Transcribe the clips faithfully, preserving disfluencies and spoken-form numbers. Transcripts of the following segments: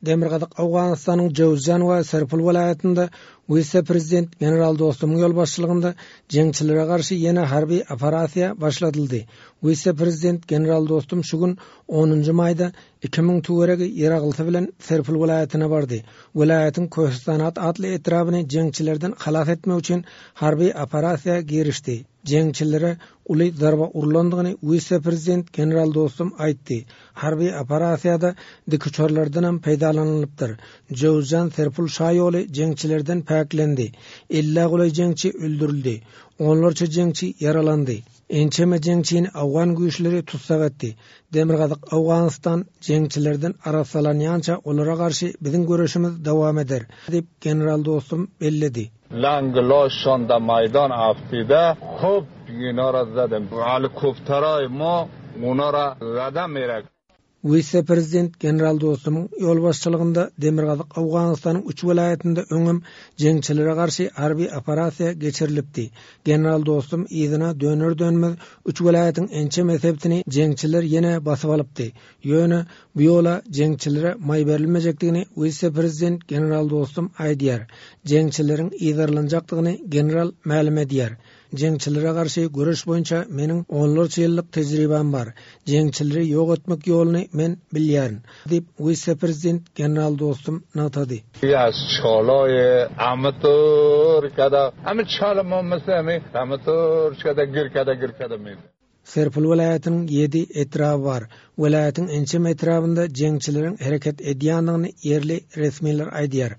Demirgazyk Owganystanyň Jöwüzjan we Serpul welaýatynda wise-prezident general Dostumyň ýolbaşçylygynda jeňçilere garşy ýene harby operasiýa başladyldy. Wise-prezident general Dostum şu gün onunjy maýda iki müň töweregi ýaraglysy bilen Serpul welaýatyna bardy. Welaýatyň Köhistanat atly etrabyny jeňçilerden halas etmek üçin harby operasiýa girişdi. Jeňçilere uly zarba urlandygyny wise-prezident general Dostum aýtdy. Harby operasiýada dikuçarlardanam peýdalanylypdyr. Jöwüzjan Serpul şaýoly jeňçilerden päklendi. Ellä golaý jeňçi öldürildi. Onlarça jeňçi ýaralandy. Ençeme jeňçini Awgan güýçleri tutsak etdi. Demirgazyk Owganystan jeňçilerden arassalanýança olara garşy biziň göreşimiz dowam eder, diýip general Dostum belledi. Langlaşan da maýdan aftide hop ýinara zadem. Helikopteraý ma onara zadem merek. Wise-prezident general Dostumyň ýolbaşçylygynda Demirgazyk Owganystanyň üç welaýatynda öňem jeňçilere garşy harby operasiýa geçirilipdi. General Dostum yzyna döner-dönmez üç welaýatyň ençeme sebitini jeňçiler ýene basyp alypdy. Ýöne bu ýola jeňçilere maý berilmejekdigini wise-prezident general Dostum aýdýar. Jeňçileriň yzarlanjakdygyny general mälim edýär. Jeňçilere garşy göreş boýunça meniň onlarça ýyllyk tejribäm bar. Jeňçileri ýok etmek ýoluny men bilýärin, diýip wise-prezident general Dostum nygtady. Az çalaý amator kada, amy çala momesemi, amator kada gir kada gir kada mi. Serpul welaýatynyň ýedi etraby bar. Welaýatyň ençeme etrabynda jeňçileriň hereket edýändigini ýerli resmiler aýdýar.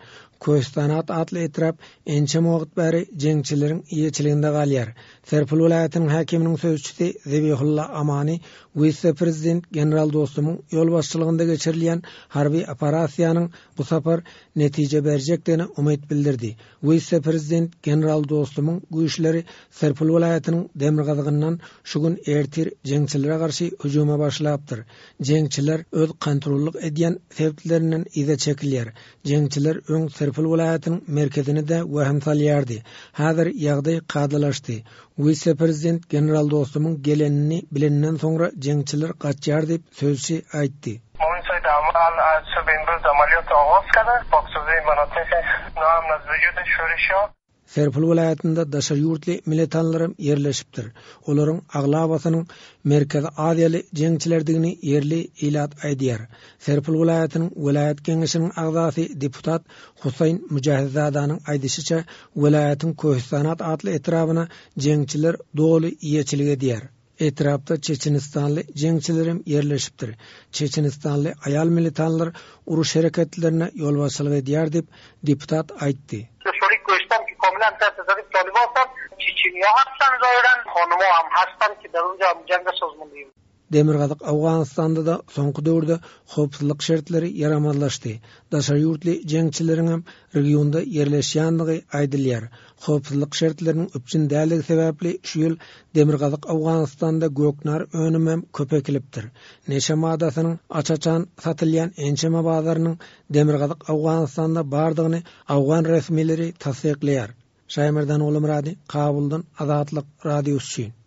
Köhistanat atly etrap ençeme wagt bäri jeňçileriň eýeçiliginde galýar. Serpul welaýatynyň häkiminiň sözçüsi Zebihulla Amani wise-prezident general Dostumyň ýolbaşçylygynda geçirilýän harby operasiýanyň bu sapar netije berjekdigine umyt bildirdi. Wise-prezident general Dostumyň güýçleri Serpul welaýatynyň demirgazygyndan şu gün ertir jeňçilere garşy hüjüme başlapdyr. Jeňçiler öz kontrollyk edýän sebeplerinden yza çekilýär. Jeňçiler öň Serpul welaýatynyň merkezini-de wehim salýardy. Häzir ýagdaý kadalaşdy. Wise-prezident general Dostumyň gelenini bilenden soňra jeňçiler gaçýar diýip sözçi aýtdy. از صبح امروز عملیات آغاز کرده پاکسازی مناطق ناامن از وجود شورش‌ها. Serpul welaýatynda daşary ýurtly militanlaram ýerleşipdir. Olaryň aglabasynyň Merkezi Aziýaly jeňçilerdigini ýerli ilat aýdýar. Serpul welaýatynyň welaýat geňeşiniň agzasy deputat Huseýn Müjahidzadanyň aýdyşyça welaýatyň Köhistanat atly etrabyna jeňçiler doly eýeçilik edýär. Etrapda Çeçenistanly jeňçilerim ýerleşipdir. Çeçenistanly aýal militanlar uruş hereketlerine ýolbaşçylyk edýär diýip deputat aýtdy. کاملا تحت تصرف طالبان هستند. چچنیا هستن ظاهرا، خانم‌ها هم هستن که در اونجا هم جنگ سازماندهی. Demirgazyk Owganystanda-da soňky döwürde howpsuzlyk şertleri ýaramazlaşdy. Daşary ýurtly jeňçileriň hem regionda ýerleşýändigi aýdylýar. Howpsuzlyk şertleriniň üpjün dälligi sebäpli şu ýyl Demirgazyk Owganystanda göknar önümi hem köp ekilipdir. Neşe maddasynyň aç-açan satylýan ençeme bazarynyň Demirgazyk Owganystanda bardygyny Awgan resmileri tassyklaýar. Şaýmerdan Oglumyrady, Kabuldan Azatlyk Radiosy üçin.